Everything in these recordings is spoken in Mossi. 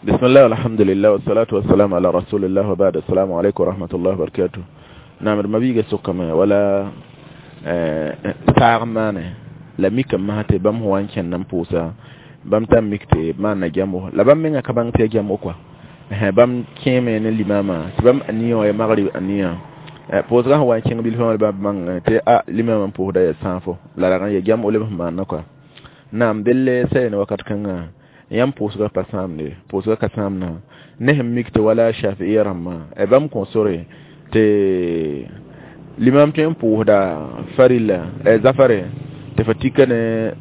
Bismillah, alhamdulillah, wassalatu wassalamu ala rasulillah wa ba'd. Assalamu alaikum wa rahmatullahi wa barakatuh. Naam, d mabiiga sokame wala saag maane la mikame masã tɩ bãmb sẽn wa n kẽnd n pʋʋsa bãmb tar mik tɩ b maana gemo la bãmb menga ka bãng tɩ yaa gemo kɔa. Bãmb kẽeme ne limama tɩ bãmb aniya wã yaa magrib aniya. Pʋʋsgã sẽn wa n kẽng bilfã wã bãmb bãng tɩ a limama n pʋʋsda yaa sãafo la rag n yaa gemo leb sẽn maana kɔa. Naam, delle sã ne wakat kãngã yãmb pʋʋsgã pa sãamde, pʋʋsgã ka sãamna ne sẽn mik tɩ wala shafi'iya rãmbã bãmb kõ sore tɩ limam tõe n pʋʋsda farilla zafare tɩ fa tika ne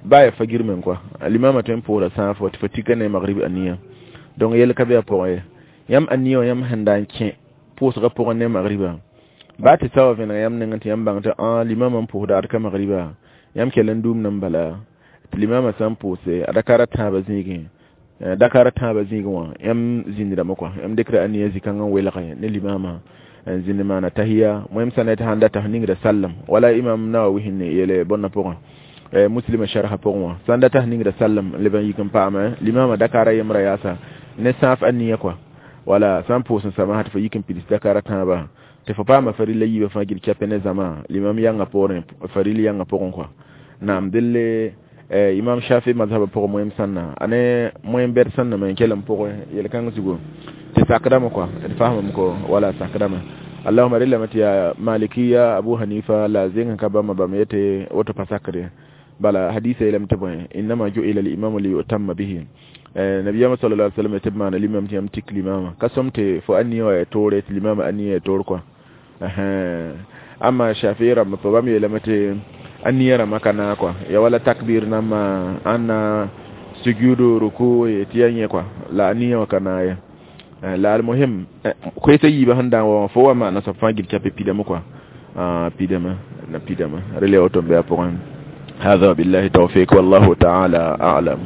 ba ya fagir men kɔa. Limama tõe n pʋʋsda sãafo tɩ fa tika ne magrib aniya. Donc yɛl ka be a pʋgẽ ye. Yãmb aniya wã yãmb sẽn da n kẽ pʋʋsgã pʋgẽ ne magriba baa tɩ sa wa vẽneg yãmb nengẽ tɩ yãmb bãng tɩ limama n pʋʋsda ad ka magriba yãmb kell n duumd n bala tɩ limama sã n pʋʋse a dakara tãabã zĩigẽ, dakara tãabã zĩigẽ wã yãmb zĩndrame kɔa, yãmb dɩkra aniya zĩ-kãngã n welge ne limama n zĩnd maana tahiya moem sã ne tɩ sãn data f ningda sallam wala Imam Nawawi sẽn ne yeele bõnna pʋgẽ, Muslima sharha pʋgẽ wã, sãn data f ningda sallam n leb n yik n paame limama dakara yembra yaasa ne sãaf aniya kɔa. Wala sã n pʋʋs n sama tɩ fa yik n pids dakara tãabã tɩ fo paama farilla yiibã fãa gil kɛpɛ ne zãma limam yãngã poorẽ, faril yãngã pʋgẽ kɔa. Naam, delle Imam Shafi mazhaba pʋgẽ moem sãnna a ne moem bɛd sãnna me n kell n pʋgẽ yel-kãng zugu tɩ sakdame kɔa, d faamame ko wala sakdame. Allahuma rɩlame tɩ yaa Malikiya, Abu Hanifa la zẽng ka bãmba bãmb yetɩ woto pa sakde. Bala hadisa yeelame tɩ bõe, innama ju'ila al-imamu liyutamma bihi. Nabiyama sallallahu alaihi wasallam tɩ b maana limam tɩ yãmb tik limama ka sõm tɩ fo aniya wã yaa toore tɩ limama aniya yaa toor kɔa. Amma Shafi rãmba pa bãmb yeelame tɩ aniya rãmbã ka naag kɔa, ya wala takbir namba ãnna sujudu ruku tɩ yaa yẽ kɔa la aniya wã ka naag ye. La almuhim koɛɛsã yiibã sẽn da n wa wã fo wa maana soab fãa gil kɛpɛ pidame kɔa, pidame na pidame rel yaa woto n be a pʋgẽ. هذا بالله التوفيق والله تعالى أعلم.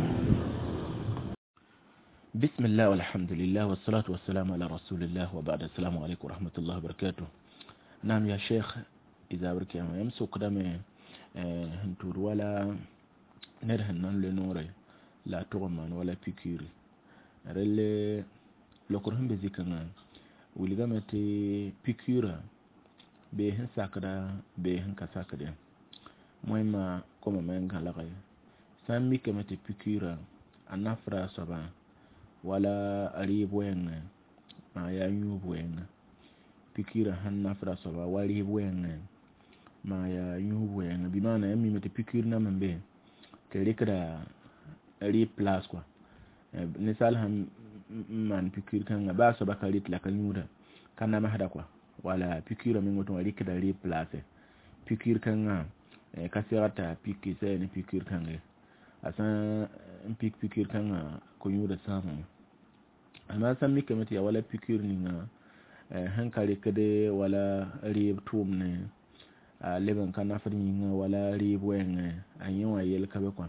بسم الله والحمد لله والصلاة والسلام على رسول الله وبعد. السلام عليكم ورحمة الله وبركاته. نعم يا شيخ، إذا برك يمسك قدام هنتور ولا نرهن لنوري لا تغمان ولا بيكيري رل لكرهم بذكرنا ولقامة بيكيرا بهن ساكرا بهن كساكرا مهمة كما من غلقة سامي كما تبيكيرا النفرة سبا ولا أريب وين ما ينوب وين بيكيرا هن نفرة سبا ولا وين ما ينوب وين بمعنى أمي متبيكيرنا من به تريكرا أريب بلاس كوا نسال هم man piqûre kãngã baa soaba ka rit la ka yũuda ka namsda kɔa wala piqûre meng woto wã rɩkda rɩɩb place piqûre kãngã ka segd t'a piki sã ne piqûre kãnge a sã n pik piqûre kãngã ko-yũudã sãamame. Amaa sã n mikame tɩ yaa wala piqûre ninga sẽn ka rɩkde wala rɩɩb tʋʋmne a leb n ka nafd yĩnga wala rɩɩb wɛɛngẽ a yẽ wã yel ka be kɔa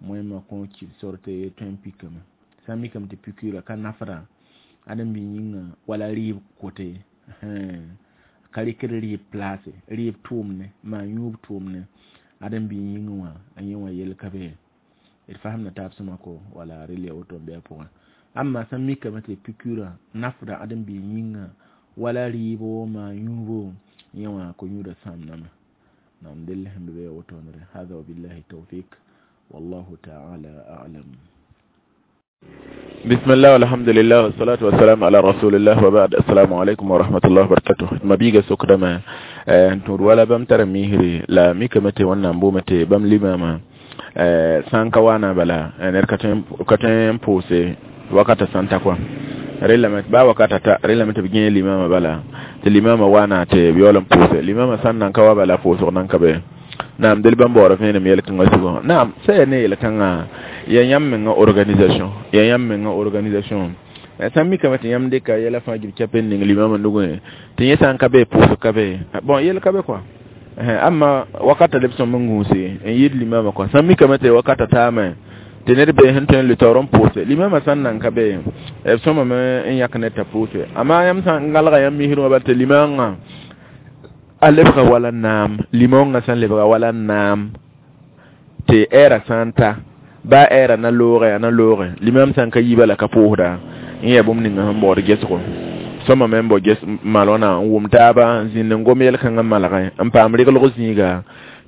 moẽmã kõ kib sor tɩ tõe n pikame. Sã n mikame tɩ piqûre ka nafda ãdem-bi yĩnga wala rɩɩb kote ka rɩkd rɩɩb place rɩɩb tʋʋmne maa yũub tʋʋmne ãdem-bi yĩngẽ wã a yẽ wã yel ka be. D fasemda taab sõma ko wala rel yaa woto n be a pʋgẽ. Amma sã n mikame tɩ piqûre nafda ãdem-bi yĩnga wala rɩɩbo maa yũubo yẽ wã ko-yũudã sãamdame. Naam, dell sẽn be be wotoonre. Hada wabillahi tawfik wallahu ta'ala a'lam. بسم الله والحمد لله والصلاة والسلام على رسول الله وبعد. السلام عليكم ورحمة الله وبركاته. ما بيجا سكرما نتور ولا بام ترى ميهري لا ميكمتي وانا بومتي بام لماما سانكوانا بلا نركتين كتين بوسي وقت سانتاكوا ريلا با وقت تا ريلا مت بيجي لماما بلا تلماما وانا تي بيولم بوسي لماما سان كوا بلا بوسو نانكبه. Naam, del bãmb baoora vẽenem yɛl-kãngã zugu. Naam, sã yaa ne yel-kãngã yaa yãmb menga organisation, yaa yãmb menga organisation. Sã n mikame tɩ yãmb dɩka yɛla fãa gil kɛp n ning limamã nugẽ tɩ yẽ sã n ka be pʋʋsg ka be bon yel ka be kɔa. Amma wakata leb sõm n gũuse n yɩɩd limamã kɔa. Sã n mikame tɩ wakata taame tɩ ned bee sẽn tõe n le taoor n pʋʋse limamã sã n nan ka be b sõmame n yãk ned t'a pʋʋse. Amaa yãmb sã n gãlga yãmb misrẽ wã bal tɩ limãngã a lebga wala naam, limõngã sã n lebga wala naam tɩ ɛɛra sã n ta Ba ɛɛra na loogɛ a na loogɛ limam sãn ka yi bala ka pʋʋsda n yaa bũmb ninga sẽn baood gesgo sõma me n bao ges mal wãna n wʋm taaba n zĩnd n gom yɛl-kãngã malgẽ n paam reglg zĩiga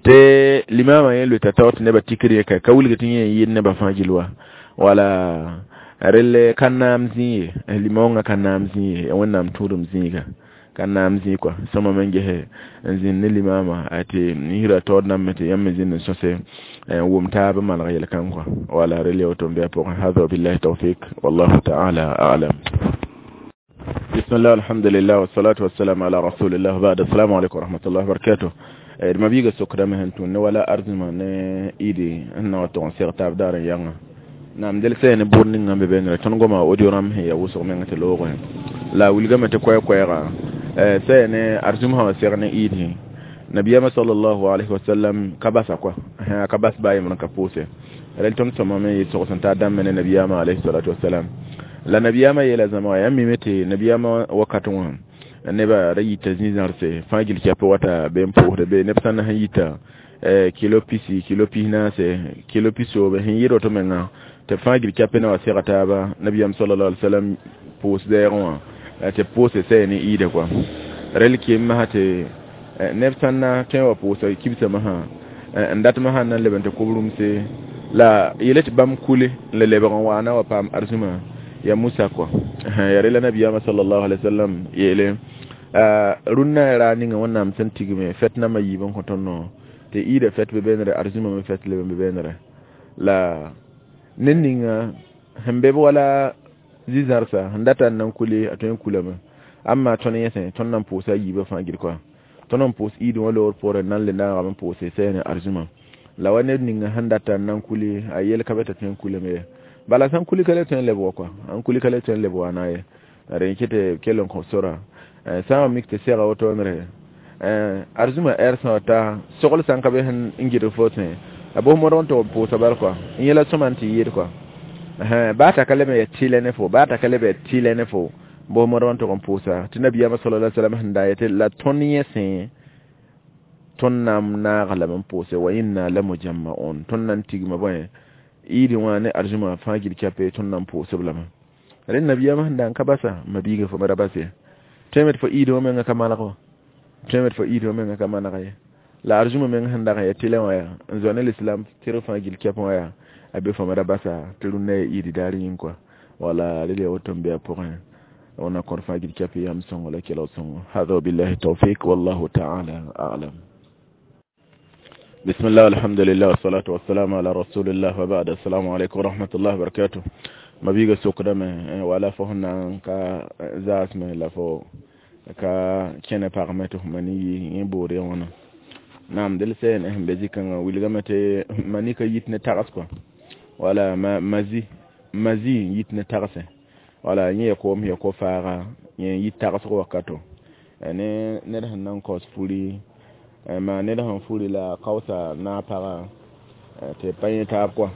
tɩ limamã yẽ loeta tao tɩ nebã tikr yẽ ka wilg tɩ yẽ n yɩɩd nebã fãa gill wa. Wala relle ka naam zĩ ye, limongã ka naam zĩ ye, Wẽnnaam tũudem zĩiga ka naam zĩ kɔa. Sõma me n gese n zĩnd ne limamã tɩ yira taood nambẽ tɩ yãmb me zĩnd n sõse n wʋm taab n maneg yel-kãng kɔa. Wala rel ya woto n bɩ a pʋgẽ. Hada wabillahi tawfik, wallahu ta'ala a'lam. Bismillah, alhamdulillah, wassalatu wassalamu ala rasulillah, ba'd. Assalamu alaikum warahmatullahi wabarakatuh. D ma-biiga sokdame sẽn tũud ne wala arzũma ne idi n na wa tʋg n seg taab daar n yãnga. Naam, del sã ne bʋʋd ninga n be bẽenere tõnd goma audio rãmb sẽn ya wʋsg meng tɩ loogẽ la a wilgame tɩ koɛɛ-koɛɛga sã ne arzũm sã wa seg ne iidẽ nabiyama sallallahu alaihi wasallam ka basa kɔa, a ka bas baa yembr n ka pʋʋse rel. Tõnd sõma me yɩ sogs n taa dãmbe ne nabiyama alayhi salatu wasalam. La nabiyama yeela zãma wã yãmb mime tɩ nabiyama wakat wã neba ra yita zĩ-zãrse fãa gil kɛp wata be n pʋʋsde be neb sãn na sẽn yita kilo pisi, kilo pisnaase, kilo pisoobe sẽn yɩɩd woto menga tɩ fãa gil kɛpẽ na wa sega taaba nabiyam sallallahu alaihi wasallam pʋʋs dɛɛgẽ wã tɩ pʋʋse sɛ ne iida kɔa. Rel keem masã tɩ neb sãn na tõe wa pʋʋsa kibsã masã n dat masã n na n leb n tɩ kʋb rũmse la yele tɩ bãmb kule n le lebg n waana wa paam arzũmã ya Musa kɔa. Ya rela nabiyama sallallahu alaihi wasallam yeele rũnnã raa ninga Wẽnnaam sẽn tigme fɛt nambã yiib n kõ tõnd tɩ iida fɛt be beenere, arzũmã me fɛt leb n be beenere la ned ninga sẽn be b wala zi-zãrsa sẽn data n na n kule a tõe n kulame. Amma tõnd yẽsẽ tõnd na n pʋʋsa a yiibã fãa gil kɔa. Tõnd n pʋʋs iidẽ wã loogr poorẽ na n le naagame n pʋʋse sɛ ne arzũmã la wa ned ninga sẽn data n na n kule a yel ka be t'a tõe n kulame ye. Bala sãn kuli ka le tõe n leb wa kɔa, n kuli ka le tõe n leb waana ye. Rẽ kɩ tɩ kell n kõ sora sã n wa mik tɩ sɛga wotoonre arzũmã ɛɛr sã wa ta sogl sã n ka be sẽn n gɩdg fo tõe a bos modg n tʋg n pʋʋsa bal kɔa n yẽla sõma n tɩ yɩɩd kɔa. Baa t'a ka leb n yaa tɩlɛ ne fo, baa t'a ka leb yaa tɩlɛ ne fo, bos modg n tʋg n pʋʋsa tɩ nabiyaamã sallallahu alaihi wasallam sẽn daa yetɩ la tõnd yẽ tõnd na n naag lame n pʋʋse wa inna lamujamma'un tõnd na n tigma bõe iidẽ wã ne arzũmã fãa gil kɛpe tõnd na n pʋʋsb lame. Rẽnd nabiyaamã sẽn daa n ka basa ma-biigã fo me ra bas ye. Tõeme tɩ fo iidẽ wã menga ka maneg wa, tõeme tɩ fo iidẽ wã menga ka maneg ye. La arzũmã meng sẽn dag n yaa tɩlɛ wã yaa n zoa ne lislam tɩrg fãa gil kɛpẽ wã yaa a be fo me ra basa tɩ rũnnã yaa iidi daar yĩng kɔa. Wala rel yaa woto n be a pʋgẽ wẽnnaam kõt fãa gil kɛp yam sõngo la kelg sõngo. Hada wabillahi tawfik, wallahu ta'ala a'lam. Bismillah, alhamdulillah, wassalatu wassalamu ala rasulillah, wa ba'd. Assalamu alaikum wa rahmatullahi wa barakatuh. Ma-biiga sokdame wala fo sẽn na n ka zaasme la fo ka kẽne pagme tɩ f mani yɩ yẽ bood ya wãna. Naam, del sã ne sẽn be zĩ-kãngã wilgame tɩ mani ka yit ne tags kɔa. Wala mazi mazi n yit ne tagsẽ wala yẽ ya koom ya ko-faaga yẽ n yit tagsg wakato ne ned sẽn na n kaoos furi ma ned sẽn furi la kaoosa naag pagã tɩ pa yẽ taab kɔa.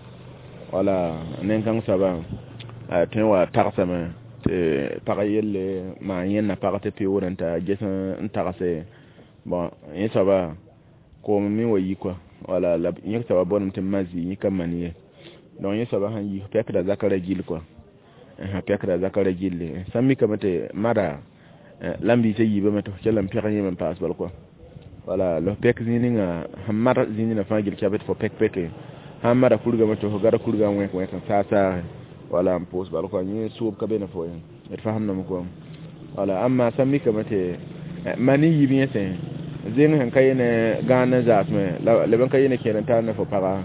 Wala nen-kãng soabã tõe n wa tagsame tɩ pag yelle maan yẽnna pag tɩ peoor n t'a ges n tagse bon yẽ soaba koom me wa yi kɔa. Wala la yẽ soaba booname tɩ mazi yẽ ka mani ye. Donc yẽ soaba sẽn yi pɛkda zakara gill kɔa, pɛkda zakara gilli sãn mikame tɩ mada la n biisã yiibame tɩ f kell n pɛg yẽme n paas bal kɔa. Wala la f pɛk zĩig ninga sẽn mad zĩig ningã fãa gil kɛpẽ tɩ fo pɛk pɛke sãn mada kurgame tɩ fo gad kurgã n wẽk wẽk n saag saage wala n pʋʋs bal kɔa yẽ soob ka be ne fo ye d fasemdame kɔa. Wala amma sãn mikame tɩ mani yib yẽsẽ zeng sẽn ka yẽ ne gãan n zaasme la leb n ka yẽ ne kẽer n tar ne fo paga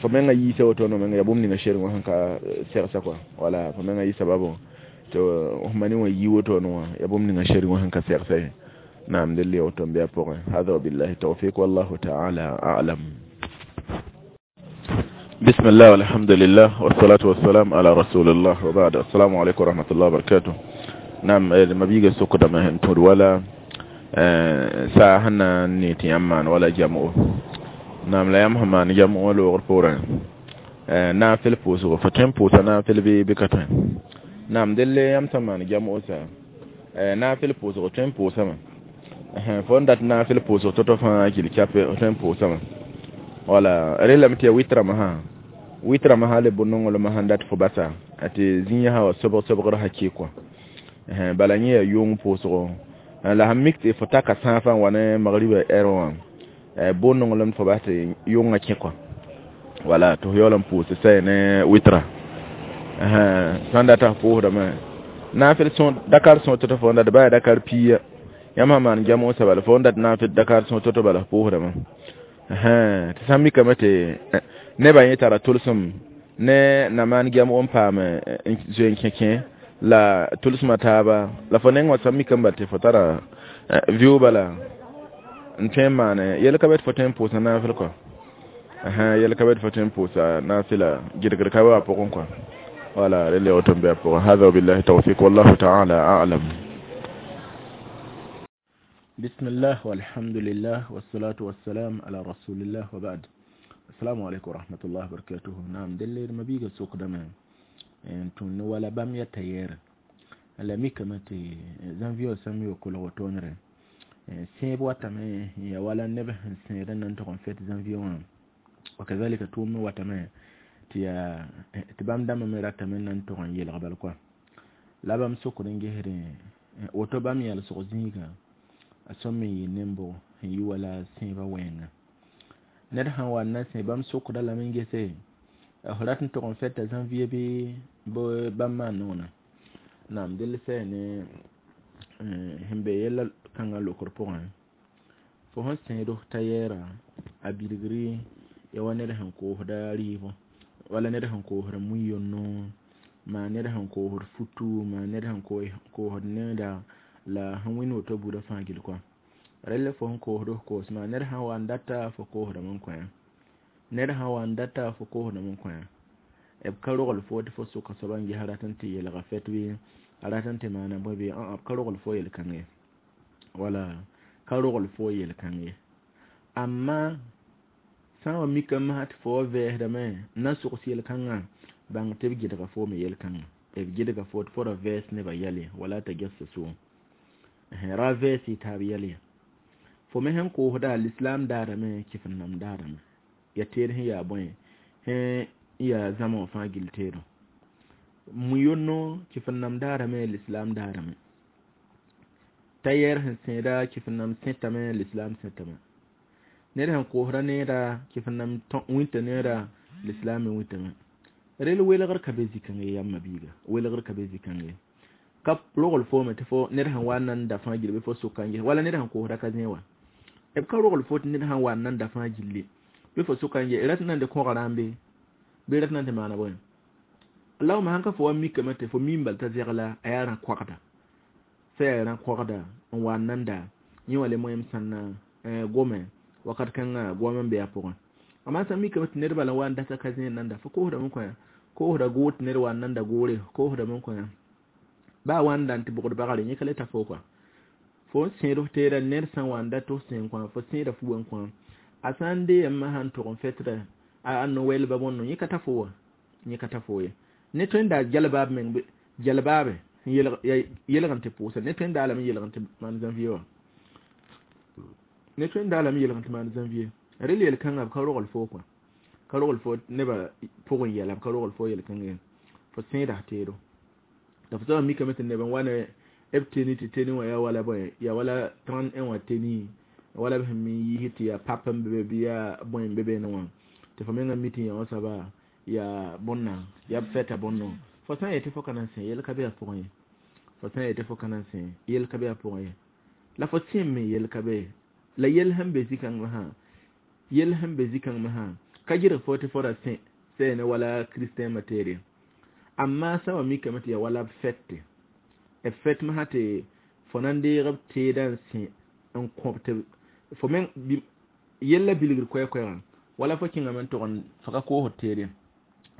fo menga yiisa woto no menga ya bũmb ninga sherg wã sẽn ka segsa kɔa. Wala fo menga yɩ sababu tɩ f mani wã yi woto no wã ya bũmb ninga sherg wã sẽn ka segsa ye. Naam, del ya woto n be a pʋgẽ. Hada wabillahi tawfik, wallahu ta'ala a'lam. Bismillah, alhamdulillah, wassalatu wassalam ala rasulillah, wa ba'd. Assalamu alaikum wa rahmatullahi wa barakatuh. Naam, mabiga sokdame sẽn tũud wala saa sẽn na n ne tɩ yãmb maan wala jam'o. Naam, la yãmb sẽn maan jam'o wã loogr poorẽ naafɩl pʋʋsgo fo tõe n pʋʋsa naafɩl bɩ ka tõe. Naam, delle yãmb sẽn maan jam'o sa naafɩl pʋʋsgo tõe n pʋʋsame fo n dat naafɩl pʋʋsg to-to fãa gil kɛpe tõe n pʋʋsame. Wala relame tɩ ya wɩtrame sã Wɩtrã masã le bʋ-nonglmã sãn dat fo basa tɩ zĩigã sã wa sobg sobgr sã kɩ kɔ bala yẽ yaa yʋng pʋʋsgo la sẽn mik tɩ fo taka sãafã n wa ne magribã ɛrẽ wã bʋ-nonglem fo bas tɩ yʋngã kẽ kɔ wala tɩ f yaool n pʋʋs sɛ ne wɩtra sãn data f pʋʋsdame naafɩl dakar sõor tɩ fo n dat baa yaa dakar piiya yãmb sã maan gem wʋsã bala fo n dat naafɩl dakar sõor to-to bala f pʋʋsdame tɩ sã n mikame tɩ nebã yẽ tara tʋlsem ne na maan gem n paam zoe n kẽ la tʋlsmã taaba la fo neng wã sã n mikame bal tɩ fo tara vɩʋ bala n tõe n maane yel ka be tɩ fo tõe n pʋʋsa naafɩl kɔ yel ka be tɩ fo tõe n pʋʋsa naafɩla gɩdgd ka be a pʋgẽ kɔ wala rel ya woto n be a pʋgẽ hada wabillahi tawfik wallahu taala alam. بسم الله والحمد لله والصلاة والسلام على رسول الله وبعد. السلام عليكم ورحمة الله وبركاته. نعم دليل ما بيجا سوق دمان تون ولا بام يتير لا ميكمتي زانفيو ساميو كل وتونر سيب واتمي يا ولا نبه سيرن نتقن فيت زانفيو وكذلك توم واتمي تيا تبام دم مراتمي نتقن يلغبال كوا لا بام سوق نجهري وتبام يالسوق زينيكا a sõm n yɩ nembo n yi wala sẽebã wẽnga ned sãn wa n na sẽ bãmb sokda lame n gese f rat n tog n fɛta zãnvɩ bɩ bãmb maan noona naam dell sɛ ne sẽn be yɛla kãngã lokr pʋgẽ fo sẽn sẽed f tayɛɛra a bilgri ya wa ned sẽn koosda rɩɩbõ wala ned sẽn koosd mui-yonno maa ned sẽn koosd futu maa ned sẽn koosd needa la sẽn wẽnd woto buudã fãa gill kɔa rel fo sẽn koosd f koosmã ned sã n wa n data fo koosdame n kõ ned sã wa n data fo koosdame n kõ b ka rogl fo tɩ fo soka soaba n ges rat n tɩ yelga fɛt bɩ a rat n tɩ maana bõe bɩ b ka rogl fo yel-kãng ye wala ka rogl fo yel-kãng ye amma sã n wa mikame masã tɩ fo wa vɛɛsdame n na sogs yel-kãngã bãng tɩ b gɩdga foome yel-kãngã b gɩdga fo tɩ fo ra vɛɛs nebã yɛl ye wala t'a gesa soom ra vɛɛs y taab yɛl ye fo me sẽn koosda lislaam daarame kɩf-n-nam daarame ya teed sẽn yaa bõe sẽn yaa zãma wã fãa gill teedõ mu-yonno kɩf-n-nam daarame lislaam daarame tayɛɛr sẽn sẽeda kɩf-n-nam sẽtame lislaam sẽtame ned sẽn koosda neera kɩf-n-nam wĩnta neera lislaam me wĩntame rel welgr ka be zĩ-kãng ye yãmb biiga welgr ka be zĩ-kãng ye ka rogl foome tɩ fo ned sẽn wa n nan da fãa gill bɩ fo soka n ges wala ned sẽn koosda ka zẽe wã b ka rogl fo tɩ ned sãn wa n nan da fãa gilli bɩ fo soka n ges rat n nan tɩ kõg rãambe bɩ rat n nan tɩ maana bõe allahuma sãn ka fo wa mikame tɩ fo miim bal t'a zegla a yaa rã-koagda sã yaa rã-koagda n wa n nan da yẽ wã le moẽm sãnna gome wakat kãngã goam n be a pʋgẽ amma sã n mikame tɩ ned bala n wa n data ka zẽe n nan da fo koosdame n kõ koosda goor tɩ ned wa n nan da goore koosdame n kõ baa wa n da n tɩ bʋgd bagre yẽ ka le ta fo kɔa fo n sẽed f teera ned sã n wa n dat f sẽn kõ fo sẽeda fu n kõ a sã n deeyame sã n tog n fɛtra a no-wɛlba bõndo yẽ ka ta fo wa yẽ ka ta fo ye ne tõe n daa jalbaab meng jalbaabe yelg n tɩ pʋʋsa ne tõe n daa lame yelg n tɩ maan zãnvɩ wã ne tõe n daa lame yelg n tɩ maan zãnvɩ rel yel-kãngã b ka rogl fo kɔa ka rogl fo nebã pʋgẽ yɛla b ka rogl fo yel-kãngã ye fo sẽeda f teedo la fo soaba mikame tɩ neb n wa ne b teni tɩ teni wã yaa wala bõe yaa wala 31 wã teni wala b sẽn me yiis tɩ yaa pap n be bɩ yaa bõe n be beene wã tɩ fo menga mi tɩ yã wã soaba yaa bõnna yaa b fɛta bõndo fo sã n yetɩ fo ka na n sẽ yel ka be a pʋgẽ ye fo sã n yetɩ fo ka na n sẽ yel ka be a pʋgẽ ye la fo sẽem me yel ka be la yel sẽn be zĩ-kãng masã yel sẽn be zĩ-kãng masã ka gɩdg fo tɩ fo ra sẽ sɛ ne wala kristɛn teere amma sã wa mikame tɩ yaa wala b fɛtte b fɛt masã tɩ fo na n deeg b teedã n sẽ n kõb tɩ fo meng yella bilgr koɛɛ-koɛɛgã wala fo kẽngame n tog n fo ka koosd teede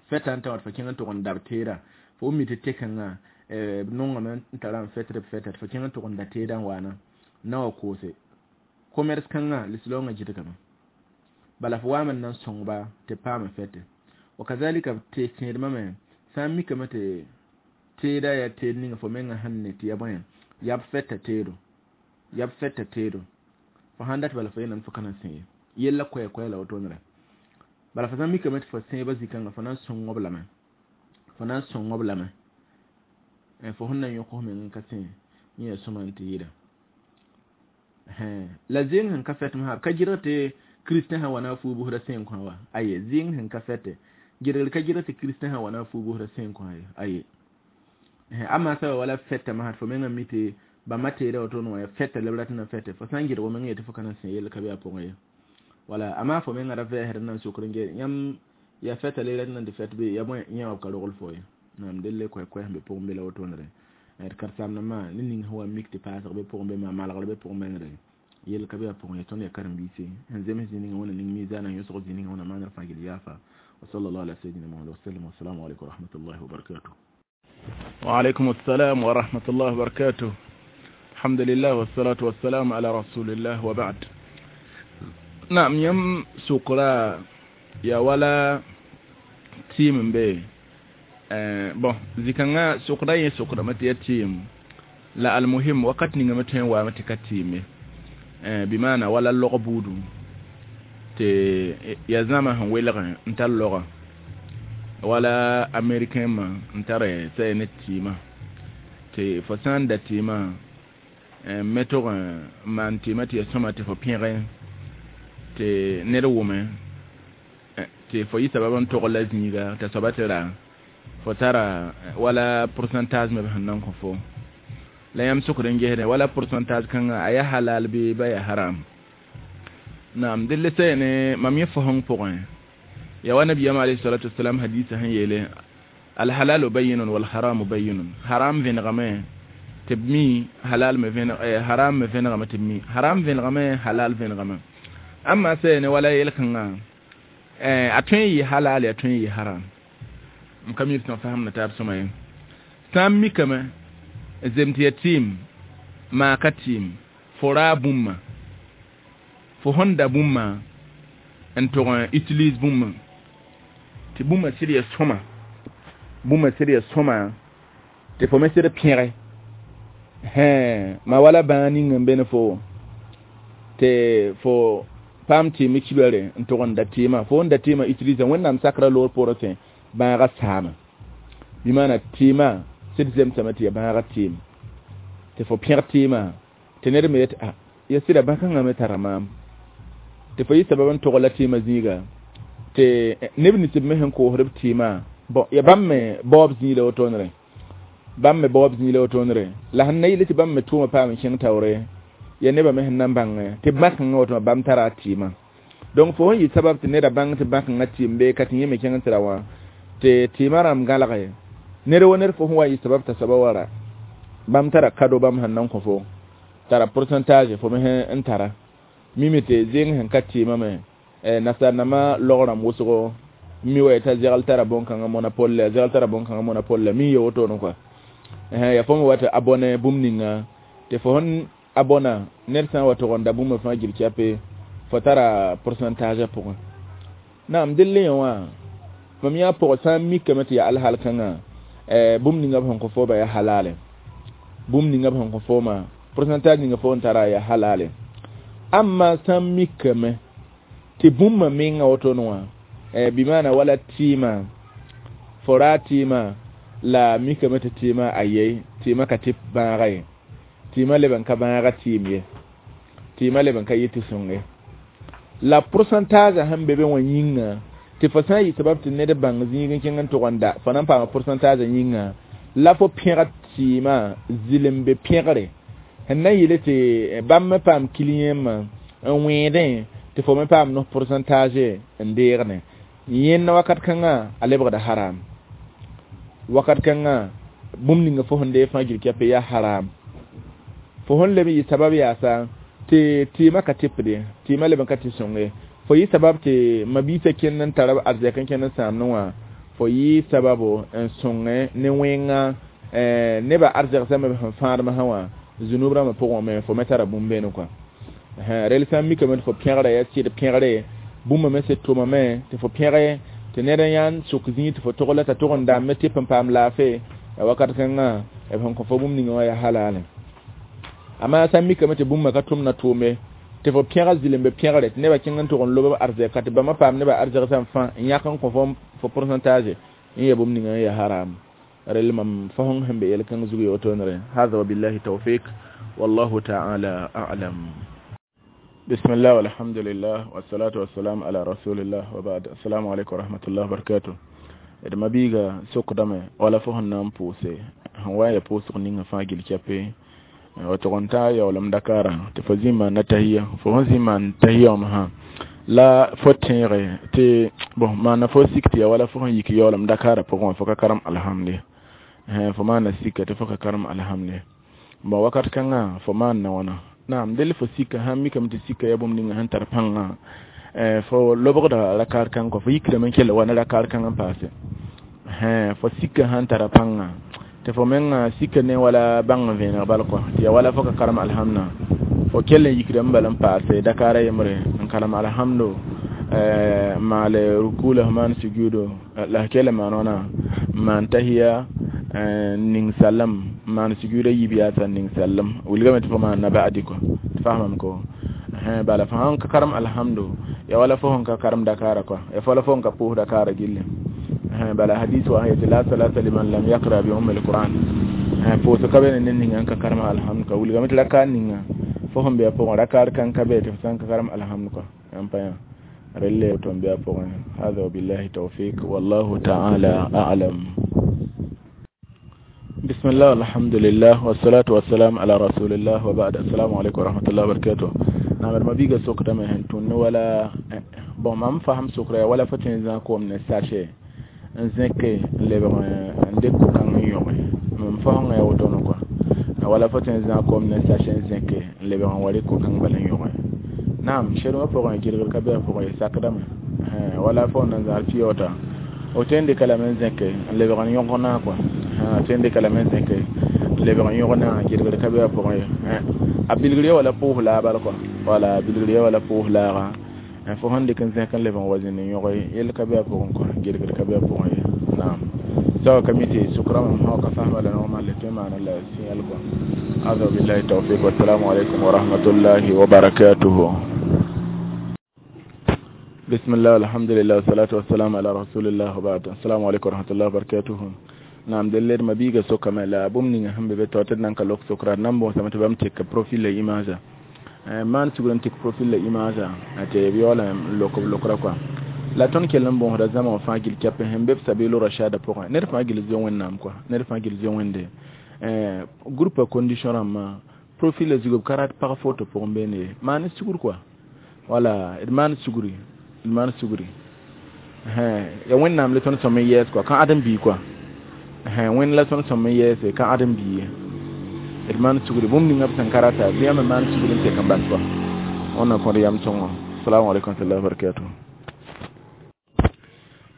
fɛta n ta wa tɩ fo kẽng n tog n dab teeda fo mi tɩ tekãngã b nongame n tara n fɛtd b fɛta tɩ fo kẽng n tog n da teedã n waana na wa koose commerce kãngã lislaoongã gɩdgame bala fo waame n na n sõngba tɩ paam fɛte wakazalika tɩ sẽedmã me sã n mikame tɩ teeda yaa teed ninga fo menga sẽn ne tɩ ya bõe yaa b fɛta teedo yaa b fɛta teedo fo sãn dat bala fo yẽnam fo ka na n sẽ ye yella koɛɛ-koɛɛ la woto nera Bala fo sã n mikame tɩ fo sẽebã zĩ-kãngã fo na n sõng b lame fo na n sõng b lame fo sẽn na n yõk f meng n ka sẽ yẽ yaa sõma n tɩ yɩɩda la zẽng sẽn ka fɛt masã b ka gɩrg tɩ kristẽ sã wa na a fuug bʋsda sẽn kõ wa aye zẽng sẽn ka fɛte gɩrgr ka gɩrg tɩ kristẽ sã wa na a fuug bʋsda sẽn kõ ye aye amma sã wala fɛta masã tɩ fo mengã mi tɩ bãmba teeda woto wã ya fɛta la b rat n na fɛte fo sã n gɩrg meng yetɩ fo ka na n sẽ yell ka be a pʋgẽ ye wala amma fo mengã ra vɛɛsd n na n sokr n ge yãmb ya fɛta la y rat n na n tɩ fɛt bɩ ya bõe yẽ wã b ka rogl fo ye naam delle koɛ-koɛs n be pʋgẽ be la wotone d karen-saamdãmbã ne ning sẽn wa mik tɩ paasg be pʋgẽ be maa malgr be pʋgẽ mengre yell ka be a pʋgẽ ye tõnd yaa karen-biise sẽn zems zĩ ninga wẽnna ning miizaanã yõsg zĩ ninga wẽnna maanr fãa gil yaafa wa sallallahu ala sayyidina muhammad wa sallam. Wassalamu alaikum wa rahmatullahi wa barakatuh. Wa alaikum assalam wa rahmatullahi wa barakatuh. Alhamdulillah wassalatu wassalamu ala rasulillah wa ba'd. Naam yãmb sokra ya wala tɩɩm n be bon zĩ-kãngã sokda yẽ sokdame tɩ ya tɩɩm la almuhim wakat ninga me tõe n waame tɩ ka tɩɩme bɩmaana wala log buudu tɩ ya zãma sẽn welg n tar logã wala américain ma n tar sã ne tɩɩmã tɩ fo sã n da tɩɩmã me tʋg n maan tɩɩmã tɩ ya sõma tɩ fo pẽgẽ tɩ ned wʋme tɩ fo yɩ sabab n tog la zĩiga t'a soaba tɩ ra fo tara wala pourcentage me b sẽn na n kõ fo la yãmb sokd n gesdẽ wala pourcentage kãngã a yaa halal bɩ ba yaa haram naam dɩl sã ne mam yẽ fosẽng pʋgẽ ya wa nabiyam alayhi salatu wassalam hadisa sẽn yeele alhalalu bayinun walharamu bayinun haram vẽnegame tɩ b mi halal me vẽneg haram me vẽnegame tɩ b mi haram vẽnegame halal vẽnegame amma sã ne wala yel-kãngã a tõe n yɩ halal ya tõe n yɩ haram m ka mi tɩ fasem na taab sõma ye sã n mikame zem tɩ ya tɩɩm maa ka tɩɩm fo raa bũmba fo sẽn da bũmba n tʋg n utilise bũmba tɩ bũmba sɩd ya sõma bũmba sɩd ya sõma tɩ fo me sɩd pẽge ma wala bãag ning n be ne fo tɩ fo paam tɩɩm kibare n tʋg n da tɩɩmã fo n da tɩɩmã utilise wẽnnaam sakra loor poorẽ sẽ bãagã saama bɩ maana tɩɩmã sɩd zemsame tɩ ya bãagã tɩɩm tɩ fo pẽg tɩɩmã tɩ ned me yetɩ a ya sɩda bãn-kãngã me tara maam tɩ fo yɩ sabab n tog la tɩɩmã zĩiga tɩ neb nins b me sẽn koosd b tɩɩmã bon ya bãmb me baoob zĩig la wotonere bãmb me baoob zĩig la wotonere la sẽn na yɩl tɩ bãmb me tʋʋmã paam n kẽng taoore ya nebã me sẽn na n bãng tɩ bãkãngã woto bãmb tara a tɩɩmã donc fo sẽn yɩ sabab tɩ neda bãng tɩ bãkãngã tɩɩm bee ka tɩ yẽ me kẽng n tɩ ra wã tɩ tɩɩmã rãmb gãlge ned wa ned fo sẽn wa yɩ sabab t'a soaba wara bãmb tara kado bãmb sẽn na n kõ fo tara pourcentage fo me sẽn tara mime tɩ zẽng sẽn ka tɩɩmã me nasaar-nãmbã log-rãmb wʋsgo mi wa t'a zegl tara bõn-kãngã monopole la zegl tara bõn-kãngã monopole la mi ya wotone kɔa ya fo me wa tɩ abɔne bũmb ninga tɩ fo sẽn abɔna ned sã n wa tʋg n da bũmb fãa gil kɛpe fo tara pourcentage a pʋgẽ naam dɩl yẽ wã mam yã pʋgã sã n mikame tɩ yaa alhal kãngã bũmb ninga b sẽn kõ fooma yaa halale bũmb ninga b sẽn kõ fooma pourcentage ninga fo n tara yaa halale amma sã n mikame tɩ bũmba menga wotone wã bɩ maana wala tɩɩmã fo raa tɩɩmã la mikame tɩ tɩɩmã a ye tɩɩmã ka tɩ bãaga ye tɩɩmã leb n ka bãaga tɩɩm ye tɩɩmã leb n ka yɩ tɩ sõng ye la pourcentage sẽn be be wã yĩnga tɩ fo sã n yɩ sabab tɩ ned bãng zĩig n kẽng n tʋg n da fo na n paama pourcentage yĩnga la fo pẽg tɩɩmã zɩlem be pẽgre sẽn na n yɩle tɩ bãmb me paam kiliyẽmã n wẽedẽ tɩ fo me paam nos pourcentage n deegne yẽnna wakat kãngã a lebgda haram wakat kãngã bũmb ninga fo sẽn deeg fãa gil kɛpɛ yaa haram fo sẽn leb n yɩ sabab yaasa tɩ tɩɩmã ka tɩpde tɩɩmã leb n ka tɩ sõnge fo yɩ sabab tɩ mabiisã kẽnd n tara arzɛk n kẽnd n sãamdẽ wã fo yɩ sababo n sõngẽ ne wẽnga nebã arzɛgsã me sẽn fãadmsã wã zunub rãmbã pʋgẽ me fo me tara bũmb beene kɔa rel sã n mikame tɩ fo pẽgra yaa sɩd pẽgre bũmba me sɩd tʋmame tɩ fo pẽge tɩ ned n yãan sok zĩig tɩ fo tog la t'a tʋg n daam me tɩp n paam laafee wakat kãngã b sẽn kõ fo bũmb ninga wã yaa halale amma sã n mikame tɩ bũmba ka tʋmna tʋʋme tɩ Tɩ fo pẽga zɩlembe pẽgre tɩ nebã kẽng n tʋg n lob b arzɛka tɩ bãmba paam nebã arzɛg sã fãa n yãk n kõ fo pourcentage n ya bũmb ninga n ya haram. Rel mam fo sẽn be yel-kãng zug ya wotoonre. Hada wabillahi tawfik, wallahu ta'ala a'lam. Bismillah, walhamdulillah, wassalatu wassalam ala rasulillah, wa ba'd. Assalamu alaikum wa rahmatullahi wa barakatuh. D mabiiga sokdame wala fo sẽn na n pʋʋse sẽn wa n ya pʋʋsg ninga fãa gil kɛpe wa tʋg n taa yaoolem Dakara tɩ fo zĩ maana tahiya, fo sẽn zĩ maan tahiya wã la fo tẽege tɩ bon maana fo sik tɩ ya wala fo sẽn yik yaoolem Dakara pʋgẽ wã fo ka karem alhamde, fo maana sika tɩ fo ka karem alhamde. Bon, wakat kãngã fo maan na wãna? Naam, del fo sika sãn mikame tɩ sika ya bũmb ninga sẽn tar pãngã, fo lobgda rakar kãng kɔ, fo yikdame n kell wa ne rakar kãng n paase. Fo sika sãn tara pãngã tɩ fo menga sika ne wala bãng n vẽeneg bal kɔ tɩ ya wala fo ka karem alhamdã, fo kell n yikdame bala n paase Dakara yembre n karem alhamdo, maale ruku la maan sujudo la kell maan wãna, maan tahiya ning salam, maan sujuda yib yaasa ning salam, wilgame tɩ fo maan na ba'di kɔ. Tɩ faamame ko bala fo sãn ka karem alhamdo ya wala fo sẽn ka karem Dakara kɔ, ya fo la fo sẽn ka pʋʋs Dakara gilli. Bala hadis wa yati la salata liman lam yaqra bi umm alquran, pʋʋs ka be ne ninga ka karem alhamdu ka, wilgame tɩ raka ninga fo sẽn be a pʋgẽ rakar kãng ka be tɩ fo sãn ka karem alhamdu kɔ n pa yã relle tõnd be a pʋgẽ. Hada wabillahi tawfik, wallahu ta'ala a'lam. Bismillah, alhamdulillah, wassalatu wassalam ala rasulillah, wa ba'd. Assalamu alaikum wa rahmatullahi wa barakatuh. Naam, mabiiga sokdame sẽn tũnd wala bon mam fasem sokra wala fo tõe n zã koom ne sachet n zẽke n lebg n dɩk ko-kãng n yõge. Mam fasẽngã ya wotone kɔa, wala fo tõe n zã koom ne sachet n zẽke n lebg n wa rɩk ko-kãng bala n yõge. Naam, sɛdmã pʋgẽ gɩrgr ka be a pʋgẽ ye sakdame, wala fo n na n zãad pɩyoota o tõe n dɩka lame n zẽke n lebg n yõg naag kɔa, tõe n dɩka lame n zẽke n lebg n yõg naag, gɩrgr ka be a pʋgẽ ye. A bilgr ya wala pʋʋs laag bal kɔa, wala bilgr ya wala pʋʋs laaga fo sẽn dɩk n zẽk n lebg n wa zĩnd n yõge, yell ka be a pʋgẽ kɔa, gɩrgr ka be a pʋgẽ ye. Naam, soaba ka mi tɩ sʋkrã mam sã ka fasma la normal tõe n maana la sẽyɛl kɔa. Hada wabillahi tawfik, wassalamu alaikum wa rahmatullahi wa barakatuhu. Bismillah, alhamdulillah, wassalatu wassalamu ala rasulillah, wa ba'd. Assalamu alaikum wa rahmatullahi wa barakatuhu. Naam, del led mabiiga sokame la bũmb ninga sẽn be be tao tɩ d nan ka lok sokra d nan bõosame tɩ bãmb tek profil la image maan sugr n tek profil la image tɩ b yaool n lok b lokra kɔa. La tõnd kell n bõosda zãma wã fãa gil kɛpẽ sẽn be b sabilu rashada pʋgẽ, ned fãa gil zoe Wẽnnaam kɔa, ned fãa gil zoe Wẽnde groupe condition rãmbã profil la zug b ka rat pag foto pʋgẽ beene ye, maan sugr kɔa, wala d maan sugri, d maan sugri ya Wẽnnaam la tõnd sõm n yɛɛs kɔa, kã ãdem bii kɔa, Wẽnd la tõnd sõm n yɛɛse kã ãdem bii ye. D maan sugri bũmb ninga b sẽn ka rata bɩ yãmb maan sugri n tek n bas kɔa. Wẽnnaam kõd yam sõngo. Assalamu alaikum wa rahmatullahi wa barakatuh.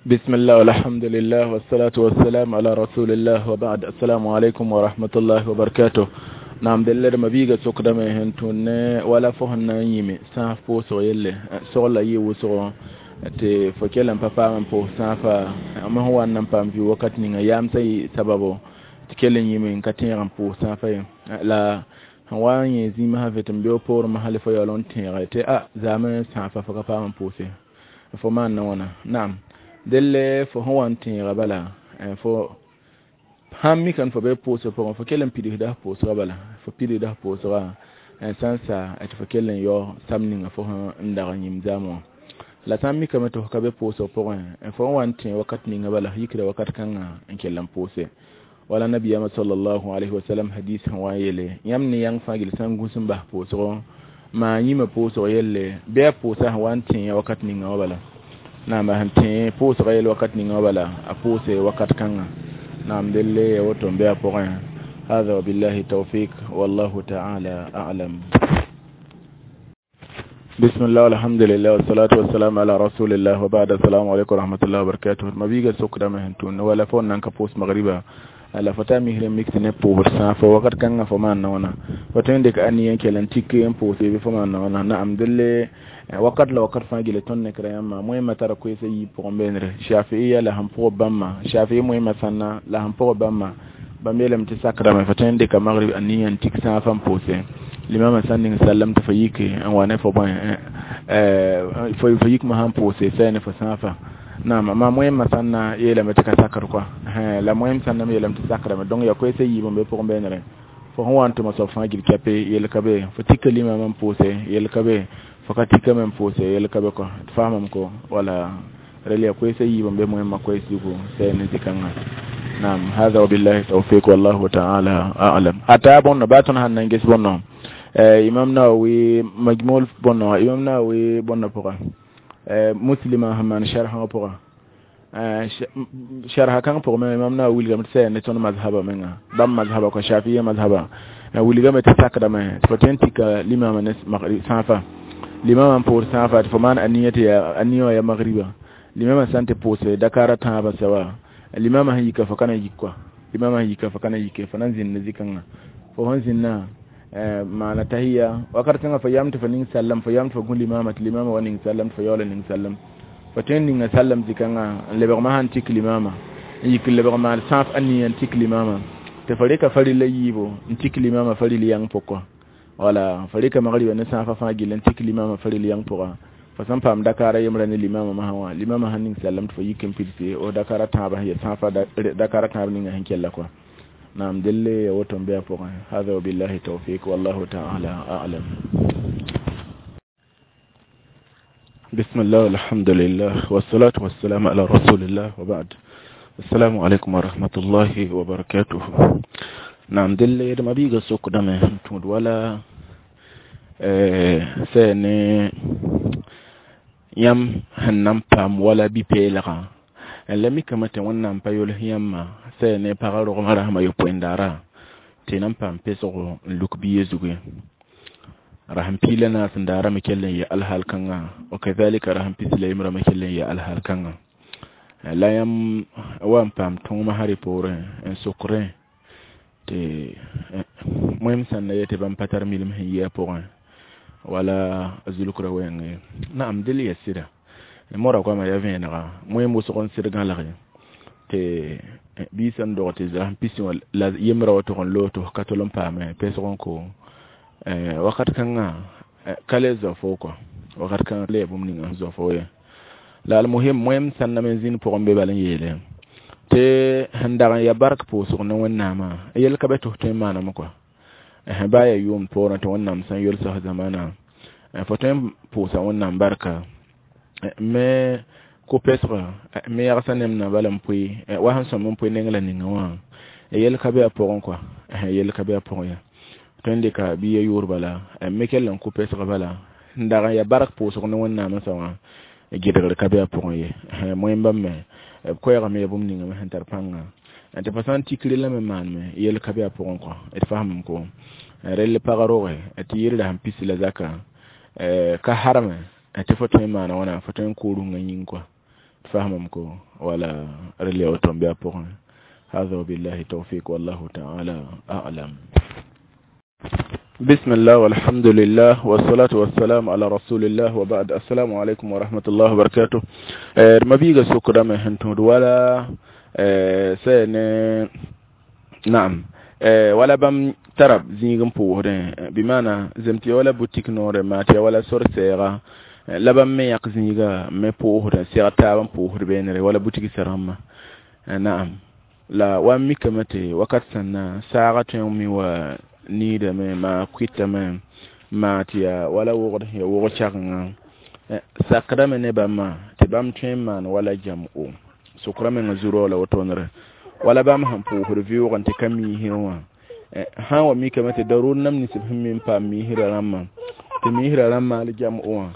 Bismillah, walhamdulillah, wassalatu wassalam ala rasulillah, wa ba'd. Assalamu alaikum wa rahmatullahi wa barakatuh. Naam, del d mabiiga sokdame sẽn tũnd ne wala fo sẽn na n yĩme sãaf pʋʋsg yelle sogla yɩ wʋsgo tɩ fo kell n pa paam n pʋʋs sãafa me sẽn wa n na n paam vɩ wakat ninga yaamsã yɩ sababo tɩ kell n yĩme n ka tẽeg n pʋʋs sãafa ye, la sẽn wa n yẽ zĩimã sã vɩt n be poorẽ hal fo yaool n tẽege tɩ a zaame sãafa fo ka paam n pʋʋse, fo maan na wãna? Naam, delle fo sẽn wa n tẽega bala fo sãn mikame fo be pʋʋsg pʋgẽ, fo kell n pidsda f pʋʋsga bala, fo pidsda f pʋʋsga sãn sa tɩ fo kell n yao sam ninga fo sẽn dag n yĩm zaam wã. La sãn mikame tɩ fo ka be pʋʋsg pʋgẽ, fo n wa n tẽ wakat ninga bala yikra wakat kãngã n kell n pʋʋse. Wala nabiyama sallallahu alaihi wasallam hadis sẽn wa n yeele yãmb ne yãng fãa gil sã n gũs n bas pʋʋsgo maa yĩmã pʋʋsg yelle bɩ a pʋʋsa sẽn wa n tẽ wakat ninga wã bala. Naam, a sẽn tẽ pʋʋsga yell wakat ninga wã bala a pʋʋse wakat kãngã. Naam, delle ya woto n be a pʋgẽ. Hada wabillahi tawfik, wallahu ta'ala a'lam. Bismillah, alhamdulillah, wassalatu wassalamu ala rasulillah, wa ba'd. Assalamu alaikum wa rahmatullahi wa barakatuh. Mabiiga sokdame sẽn tũnd wala fo n nan ka pʋʋs magriba la fo taa misr n mik tɩ ne pʋʋsd sãafo wakat kãngã fo maan na wãna? Fo tõe n dɩk aniya n kell n tik n pʋʋse bɩ fo maan na wãna? Naam, delle wakat la wakat fãa gila tõnd nekra yãmba moẽmã tara koeesã yiib pʋgẽ beenre shafiiya la sẽn pʋgb bãmba shafii moẽmã sãnna la sẽn pʋgb bãmba bãmb yeelame tɩ sakdame fo tõe n dɩka magrib aniya n tik sãafã n pʋʋse. Limama sãn ning sallam tɩ fo yike n wa ne fo bõe fo yik masã n pʋʋse sɛ ne fo sãafa. Naam, ma moẽmã sãn na yeelame tɩ ka sakd kɔa, la moẽm sãn na me yeelame tɩ sakrame. Donc yaa koeesã yiib n be pʋgẽ beenere. Fo sẽn wa n tʋma soab fãa gil kɛpe, yel ka be. Fo tika limamã n pʋʋse, yel ka be. Fo ka tikame n pʋʋse, yel ka be kɔ. Tɩ faamame ko wala rel yaa koeesã yiib n be moẽmã koees zugu sɛ ne zĩ-kãngã. Naam, hada wabillahi tawfiq, wallahu ta'ala a'lam. Ata bõnno baa tõnd sãn na n ges bõnno Imam Nawawi Majmul bõnno, Imam Nawawi bõnno pʋga, Muslima sẽn maan sharhã wã pʋga, sharha kãng pʋgẽ me Imam Nawawi wilgame tɩ sɛ ne tõnd mazhaba menga, bãmb mazhaba kɔ, Shafiya mazhaba wilgame tɩ sakdame tɩ fo tõe n tika limama ne sãafa. Limama n pʋʋs sãafa tɩ fo maan aniya tɩ yaa aniya wã yaa magriba. Limama sã n tɩ pʋʋse dakara tãabã sɛ wa, limama sẽn yika fo ka na yik kɔa, limama sẽn yika fo ka na yike, fo na n zĩnd zĩ-kãngã. Fo sẽn zĩnnã maana tahiya wakat kãngã, fo yam tɩ fo ning sallam, fo yam tɩ fo gũ limama tɩ limama wa ning sallam, tɩ fo yaoola ning sallam. Fo tõe n ninga sallam zĩ-kãngã n lebg masã n tik limama, n yik n lebg maan sãaf aniya n tik limama, tɩ fo rɩka farilla yiibo n tik limama faril yãng pʋgẽ. Wala fo rɩka magriba ne sãafã fãa gill n tik limama faril yãng pʋga. Fo sẽn paam dakara yembrã ne limama masã wã, limama sãn ning sallam tɩ fo yik n pidse o dakara tãabã sẽn ya sãafã dakara tãab ninga sẽn kella kɔa. Naam, delle ya woto n be a pʋgẽ. Hada wabillahi tawfiq, wallahu ta'ala a'lam. Bismillah, alhamdulillah, wassalatu wassalamu ala rasulillah, wa ba'd. Assalamu alaikum wa rahmatullahi wa barakatuh. Naam, delle d mabiiga sokdame n tũud wala sɛ ne yãmb sẽn na n paam wala bi-peelgã la mikame tɩ Wẽnnaam pa yols yãmbã sɛ ne pagã rogmã rasem a yopoe n daara tɩ na n paam pesgo n luk biigã zugu ye. Rasem piig la naas n daara me kell n yɩ alhaal kãngã, wa kazalika rasem pis la yembrã me kell n yɩ alhaal kãngã. La yãmb wa n paam tõog masã rɩ poorẽ n sokrẽ tɩ moẽm sãn na yetɩ bãmb pa tar milem sẽn yi a pʋgẽ wala zulkrã wɛɛngẽ ye. Naam, dɩl ya sɩda mora goamã yaa vẽenega moẽm wʋsg n sɩd gãlge tɩ bii sẽn dog tɩ rasem pisi wã la yembrã wa tʋg n loog tɩ f ka tol n paame pesg n ko wakat kãngã ka le zao fo kɔ, wakat kãngã le ya bũmb ninga zao fo ye. La almuhim moẽm sãn na me zĩnd pʋgẽ be bal n yeele tɩ sẽn dag n ya bark pʋʋsg ne Wẽnnaamã yel ka be tɩ f tõe n maaname kɔa. Baa yaa yʋʋm poorẽ tɩ Wẽnnaam sẽn yolsg zamana fo tõe n pʋʋsa Wẽnnaam barka me ko-pesga me yagsã nemdã bala n pʋɩ wa sẽn sõm n pʋɩ neng la ninga wã yel ka be a pʋgẽ kɔa, yel ka be a pʋgẽ ya. Tõe n dɩka biigã yʋʋr bala me kell n ko-pesg bala n dag n ya bark pʋʋsg ne Wẽnnaamã sã wã gɩdgr ka be a pʋgẽ ye. Moẽm bãmb me b koɛɛgame ya bũmb ninga me sẽn tar pãnga tɩ fo sã n tikre la me maanme yel ka be a pʋgẽ kɔ. D faamame ko rell pag roge tɩ yɩr rasem pis la zaka ka harame tɩ fo tõe n maana wãna, fo tõe n kʋʋ rũngã yĩng kɔa. D faamame ko wala rell ya woto n be a pʋgẽ. Hada wabillahi tawfiq, wallahu ta'ala a'lam. Bismillah, walhamdulillah, wassalatu wassalamu ala rasulillah, wa ba'd. Assalamu alaikum wa rahmatullahi wa barakatuh. Mabiiga sokdame sẽn tũud wala sɛ ne naam wala bãmb tara zĩig n pʋʋsdẽ, bɩ maana zem tɩ ya wala butik noore maa tɩ ya wala sor sɛɛga la bãmb me yãk zĩiga me pʋʋsdẽ sɛg taab n pʋʋsd beenere wala butik sẽrãmbã. Naam, la wa n mikame tɩ wakat sẽn na saagã tõe n mi wa niidame maa kʋɩtame maa tɩ yaa wala wogd ya wog chagenga sakdame ne bãmbã tɩ bãmb tõe n maan wala jam-o sokra menga zuroo la wotonere wala bãmb sẽn pʋʋsd vɩʋʋg n tɩ ka miisr wã sã n wa mikame tɩ darʋʋd nam nins b sẽn mi n paam miisrã rãmbã tɩ miisrã rãmb maal jam-o wã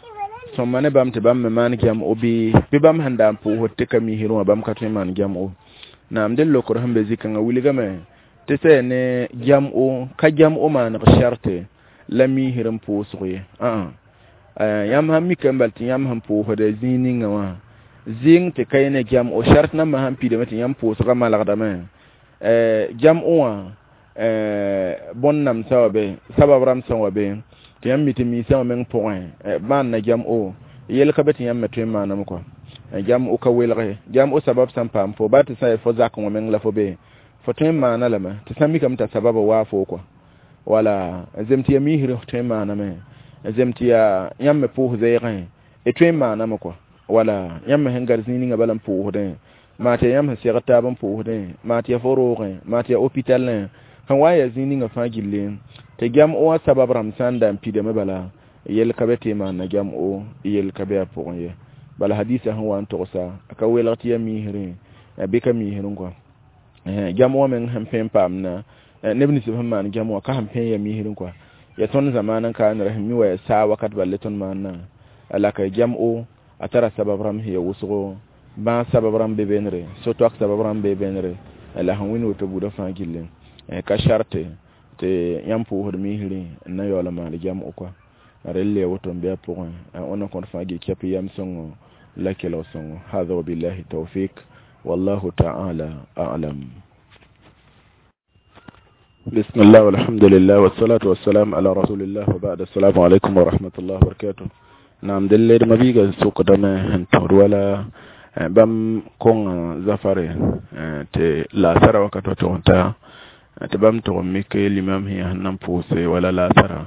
sõma ne bãmb tɩ bãmb me maan jam-o bɩ bãmb sẽn da n pʋʋsd tɩ ka miisr wã bãmb ka tõe n maan jam-o. Naam, dɩ lokr sẽn be zĩ-kãngã wilgame tɩ sɛ ne jam-o ka jam-o maaneg sharte la miisr n pʋʋsg ye. Yãmb sãn mikame bal tɩ yãmb sẽn pʋʋsd zĩig ninga wã zɩng tɩ ka yẽ ne jam-o shart nambã sãn pidame tɩ yãmb pʋʋsgã malgdame jam-o wã bõn namsã wa be sabab rãmsã wa be tɩ yãmb mi tɩ miisã wã meng pʋgẽ maan na jam-o yel ka be tɩ yãmb me tõe n maaname kɔa. Jam-o ka welge jam-o sabab sãn paam fo baa tɩ sã n yaa fo zak wã meng la fo be fo tõe n maana lame tɩ sã n mikame t'a sababa waa fo kɔa. Wala zem tɩ ya misr tõe n maaname, zem tɩ yaa yãmb me pʋʋs zɛɛgẽ, y tõe n maaname kɔa. Wala yãmb me sẽn gad zĩig ninga bala n pʋʋsdẽ, maa tɩ ya yãmb sẽn segd taab n pʋʋsdẽ, maa tɩ ya fo roogẽ, maa tɩ ya hopitalẽ, sẽn wa n yaa zĩig ninga fãa gilli, tɩ gam wã sabab rãmb sã n da n pidame bala, yell ka be tɩ y maana gam o, yell ka be a pʋgẽ ye. Bala hadisa sẽn wa n togsa, a ka welg tɩ ya misrẽ, bɩ ka misrẽ kɔa. Gam wã meng sẽn pẽ n paamna, neb nins b sẽn maan gam wã ka sẽn pẽ ya misrẽ kɔa. Ya tõnd zamaan n kaanera sẽn mi wa ya saa wakat bal le tõnd maanna, la ka gam o a tara sabab rãmb sẽn ya wʋsgo, bãas sabab rãmb be bẽnere, so-toak sabab rãmb be bẽnere, la sẽn wĩnd woto buudã fãa gilli ka sharte tɩ yãmb pʋʋsd misrẽ n na yaool n maan gam o kɔa. Rel le woto n be a pʋgẽ. Wẽnnaam kõt fãa gil kɛp yam sõngo la kelg sõngo. Hada wa billahi tawfik, wallahu ta'ala a'lam. بسم الله والحمد لله والصلاة والسلام على رسول الله وبعد. السلام عليكم ورحمة الله وبركاته. نعم، دل ما بيجا سوق دم هنتور ولا bãmb kõnga zafare tɩ laasara wakat wa tʋg n ta, tɩ bãmb tʋg n mik limam sẽn yaa sẽn na n pʋʋse wala laasara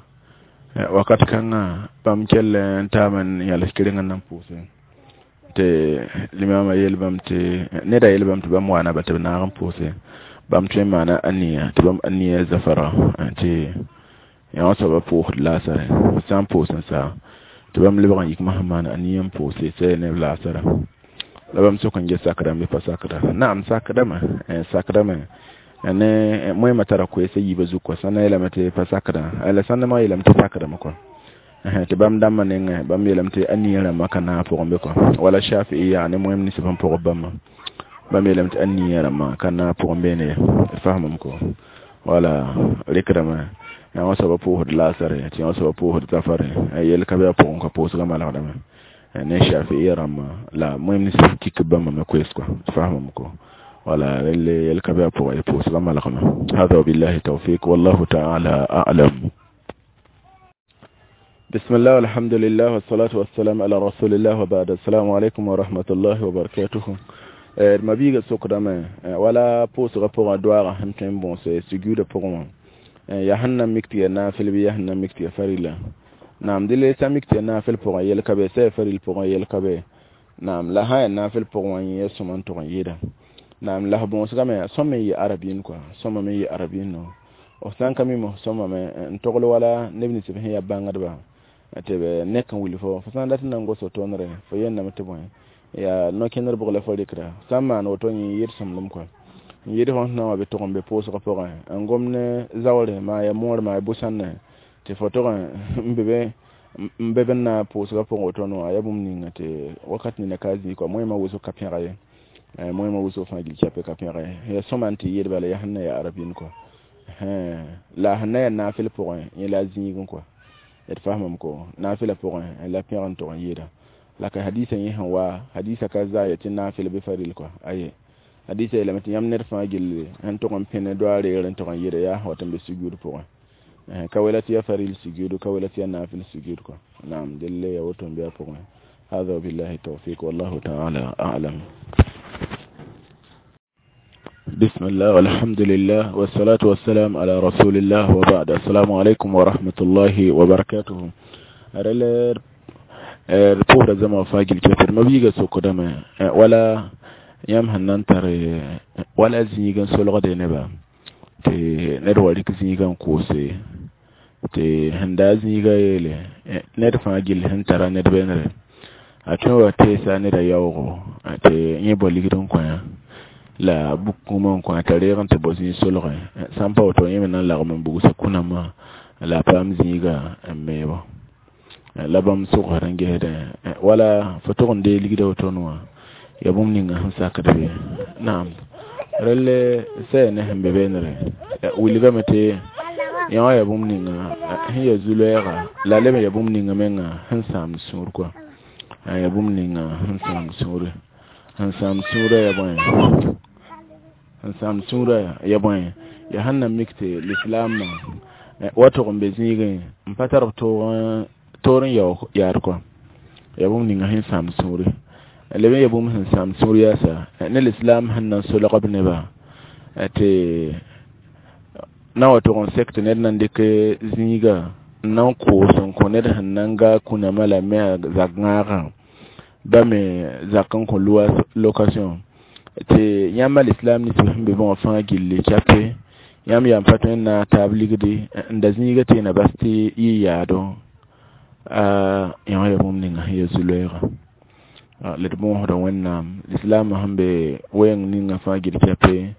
wakat kãngã, bãmb kell n taam n yãls kɩreng n na n pʋʋse, tɩ limamã yeel bãmb tɩ neda yeel bãmb tɩ bãmb waana ba tɩ b naag n pʋʋse, bãmb tõe n maana aniya, tɩ bãmb aniya zafara tɩ yã wã soabã pʋʋsd laasare. Sã n pʋʋs n sa, tɩ bãmb lebg n yik masã maana aniya n pʋʋse sɛ neb laasara. La bãmb sok n ges sakdame bɩ pa sakda. Naam, sakdame, sakdame ne moẽmã tara koeesã yiibã zug kɔa. Sã na yeelame tɩ pa sakdã, la sã n ma yeelame tɩ sakdame kɔa, tɩ bãmb dãmbã nengẽ bãmb yeelame tɩ aniya rãmbã ka naag pʋgẽ bɩ kɔa. Wala Shafi'i yaa ne moẽm nins b sẽn pʋgb bãmbã, bãmb yeelame tɩ aniya rãmbã ka naag pʋgẽ beene ye. Fasmame ko wala rɩkdame yã wã soabã pʋʋsd laasare, tɩ yã wã soabã pʋʋsd zafare, yell ka be a pʋgẽ ka pʋʋsgã malgdame ne Shafi'i rãmbã la moẽm nins tik bãmba me koees kɔa. Fasmame ko wala relle yell ka be a pʋgẽ pʋʋsgã malgame. Hada wabillahi tawfiq, wallahu ta'ala a'lam. بسم الله والحمد لله والصلاة والسلام على رسول الله وبعد. السلام عليكم ورحمة الله وبركاته. Ma biiga sokdame wala pʋʋsgã pʋgã doaagã sẽn tõe n bõose suguudã pʋgẽ wã, yaa sẽn na mik tɩ ya naafɩl bɩ yaa sẽn na mik tɩ ya farila? Naam, dɩ sã mik tɩ ya naafɩl pʋgẽ, yel ka be, sã ya faril pʋgẽ, yel ka be. Naam, la sã ya naafɩl pʋgẽ wã, yẽ ya sõma n tʋg n yɩɩda. Naam, la f bõosgame sõm me yɩ arabiin kɔa, sõma me yɩ arabiin no. F sã n ka mim f sõmame n togl wala neb nins b sẽn yaa bãngdba tɩ b nek n wilg fo, fo sã n dat n na n gos wotoonre, fo yenname tɩ bõe yaa no-kẽndr bʋg la fo rɩkda. Sã n maan woto, yẽ yɩɩd sõmblem kɔa, n yɩɩd fõ sẽn na n wa bɩ tʋg n be pʋʋsgã pʋgẽ n gom ne zaoore, maa ya moor, maa ya bʋ-sãnne, tɩ fo tʋg n be n be b na pʋʋsgã pʋgẽ woto wã, yaa bũmb ninga tɩ wakat nina ka zĩig kɔa, moẽmã wʋsg ka pẽga ye, moẽmã wʋsg fãa gil kɛpɛ ka pẽga ye. Ya sõma n tɩ yɩɩd bala yaa sẽn na yaa arabiin kɔa, la sẽn na yaa naafɩl pʋgẽ, yẽ la a zĩigẽ kɔa. D fasmame ko naafɩla pʋgẽ la pẽg n tʋg n yɩɩda. La ka hadisa yẽ sẽn wa, hadisa ka zaa ya tɩ naafɩl bɩ faril kɔa. Aye, hadisa yeelame tɩ yãmb ned fãa gilli sẽn tʋg n pẽne doa reegr n tʋg n yɩɩda yaa sẽn wat n be suguud pʋgẽ, ka wela tɩ ya faril suguud, ka wela tɩ ya naafɩl suguud kɔa. Naam, delle ya woto n be a pʋgẽ. Hada wabillahi tawfiq, wallahu ta'ala a'lam. بسم الله والحمد لله والصلاة والسلام على رسول الله وبعد. السلام عليكم ورحمة الله وبركاته. رل pʋʋsda zãma fãa gil kɛpd ma biiga sokdame wala yãmb sẽn na n tar wala zĩig n solgde neba, tɩ ned wa rɩk zĩigã n koose, tɩ sẽn daa zĩigã yeele ned fãa gill sẽn tara ned bẽnere, a tõe wa teesa neda yaoogo tɩ yẽ bao ligd n kõ la bukũmã n kõ t'a reeg n tɩ bao zĩig solgẽ. Sã n pa woto, yẽ me na n lagm n bugsa kũnamã la a paam zĩiga n meebo. La bãmb sogsd n gesdẽ wala fo tʋg n dee ligda woto wã, ya bũmb ninga sẽn sakd be. Naam, relle sã ya ne sẽn be beenre wilgame tɩ yã wã ya bũmb ninga sẽn ya zu-loɛɛga, la leb ya bũmb ninga menga sẽn sãamd sũur kɔa, ya bũmb ninga sẽn sãamd sũure, sẽn sãamd sũurã ya bõe, sẽn sãamd sũurã ya bõe, ya sẽn na mik tɩ lislaamã wa tʋg n be zĩigẽ n pa tar b toor n yaad kɔa, ya bũmb ninga sẽn sãamd sũure. Leb n ya bũmb sẽn sãamd sũur yaasa ne lislaam sẽn na n solg b neba tɩ Na wa tʋg n sek tɩ ned na n dɩk zĩiga n na n koos n kõ ned sẽn na n gaa kũnamã la me a zak gãagã ba me zak n kõ location tɩ yãmba lislaam nins sẽn be bõwã fãa gilli kyape yãmb yaa n pa tõe n naag taab ligdi n da zĩiga tɩ y na bas tɩ yɩ yaado yã yaa bũmb ninga sẽn ya zu-loeega la d bõosda Wẽnnaam lislaamã sẽn be wɛɛng ninga fãa gil kyape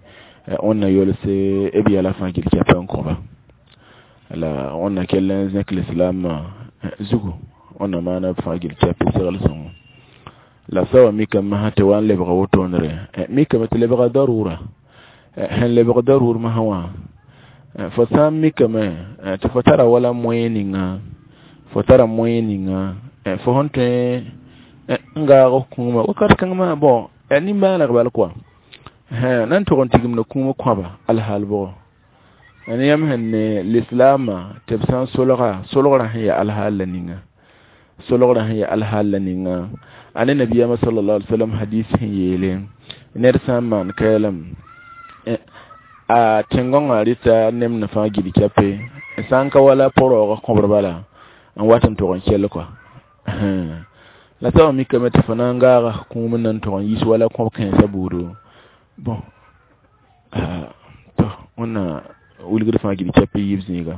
wẽnna yolse b yɛla fãa gil kyape n kõba la wẽnna kell n zẽk lislaamã zugu wẽnna maana b fãa gil kyape segl sõngo la soaba mikame masã tɩ wa n lebga wotone mikame tɩ lebga darura sẽn lebg darur masã wã fo sã n mikame tɩ fo tara wala moyen ninga fo tara moyen ninga fo sẽn tõe n gaag kũumã wakat kãng maa bõ nimbãaneg bal kɔa na n tʋg n tigimd kũum kõaba alhaal bʋgɔ ne yãmb sẽn ne lislaamã tɩ b sã n solga solgrã sẽn yaa alhaal la ninga solgrã sẽn yaa alhaal la ninga a ne nabiyaamã sallallahu alaihi wasallam hadis sẽn yeele ned sã n maan kɛɛlem a tẽn-gõngã rɩta nemd fãa gil kyape sã n ka wala pʋroog kõbr bala n wat n tʋg n kell kɔa la soaba mikame tɩ fo na n gaaga kũum n na n tʋg n yis wala kõb kãensã buudu bon to wẽnna wilgd fãa gil kyape yiib zĩiga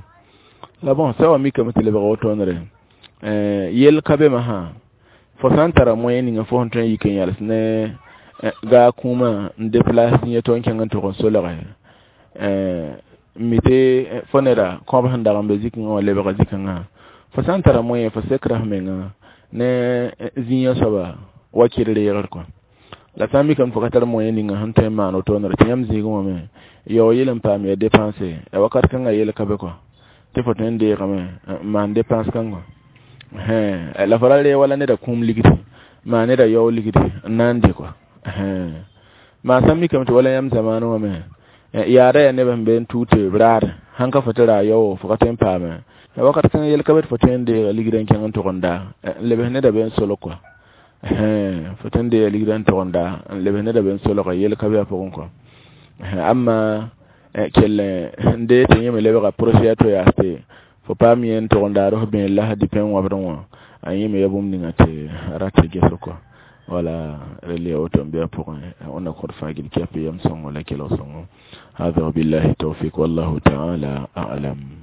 la bon soaba mikame tɩ lebga wotoonre yell ka be masã fo sã n tara moyen ninga fo sẽn tõe n yik n yals ne gaa kũumã n déplace zĩiga tɩ n kẽng n tʋg n solge n mi tɩ fo neda kõb sẽn dag n be zikẽngã wã lebga zikẽngã fo sã n tara moyen fo sekra f menga ne zĩiga soaba wakɩr reegr kɔa la sã n mikame fo ka tar moyen ninga sẽn tõe n maan wotoonre tɩ yãmb zĩigẽ wã me yao yel n paam ya dépense ya wakat kãngã yel ka be kɔa tɩ fo tõe n deegame n maan dépense kãngã la fo ra ree wala neda kũum ligdi maa neda yao ligdi n na n dɩ kɔa maa sã n mikame tɩ wala yãmb zamaanẽ wã me yaada yaa neb sẽn be n tuug tɩ b raad sãn ka fo tɩ raa yao fo ka tõe n paame wakat kãngã yel ka be tɩ fo tõe n deega ligdã n kẽng n tʋg n daa n lebs neda be n solg kɔa fo tõe n deega ligdã n tʋg n daa n lebs neda be n solga yel ka be a pʋgẽ kɔa amma kell n dee tɩ yẽ me lebga procès a to yaas tɩ fo paam yẽ n tʋg n daad f bẽen la dɩ pẽn wãbdẽ wã a yẽ me ya bũmb ninga tɩ rat ges kɔa wala rel ya woto n be a pʋgẽ wẽnna kõd fãa gil kɛp yam sõngo la kelg sõngo. هذا وبالله التوفيق والله تعالى أعلم.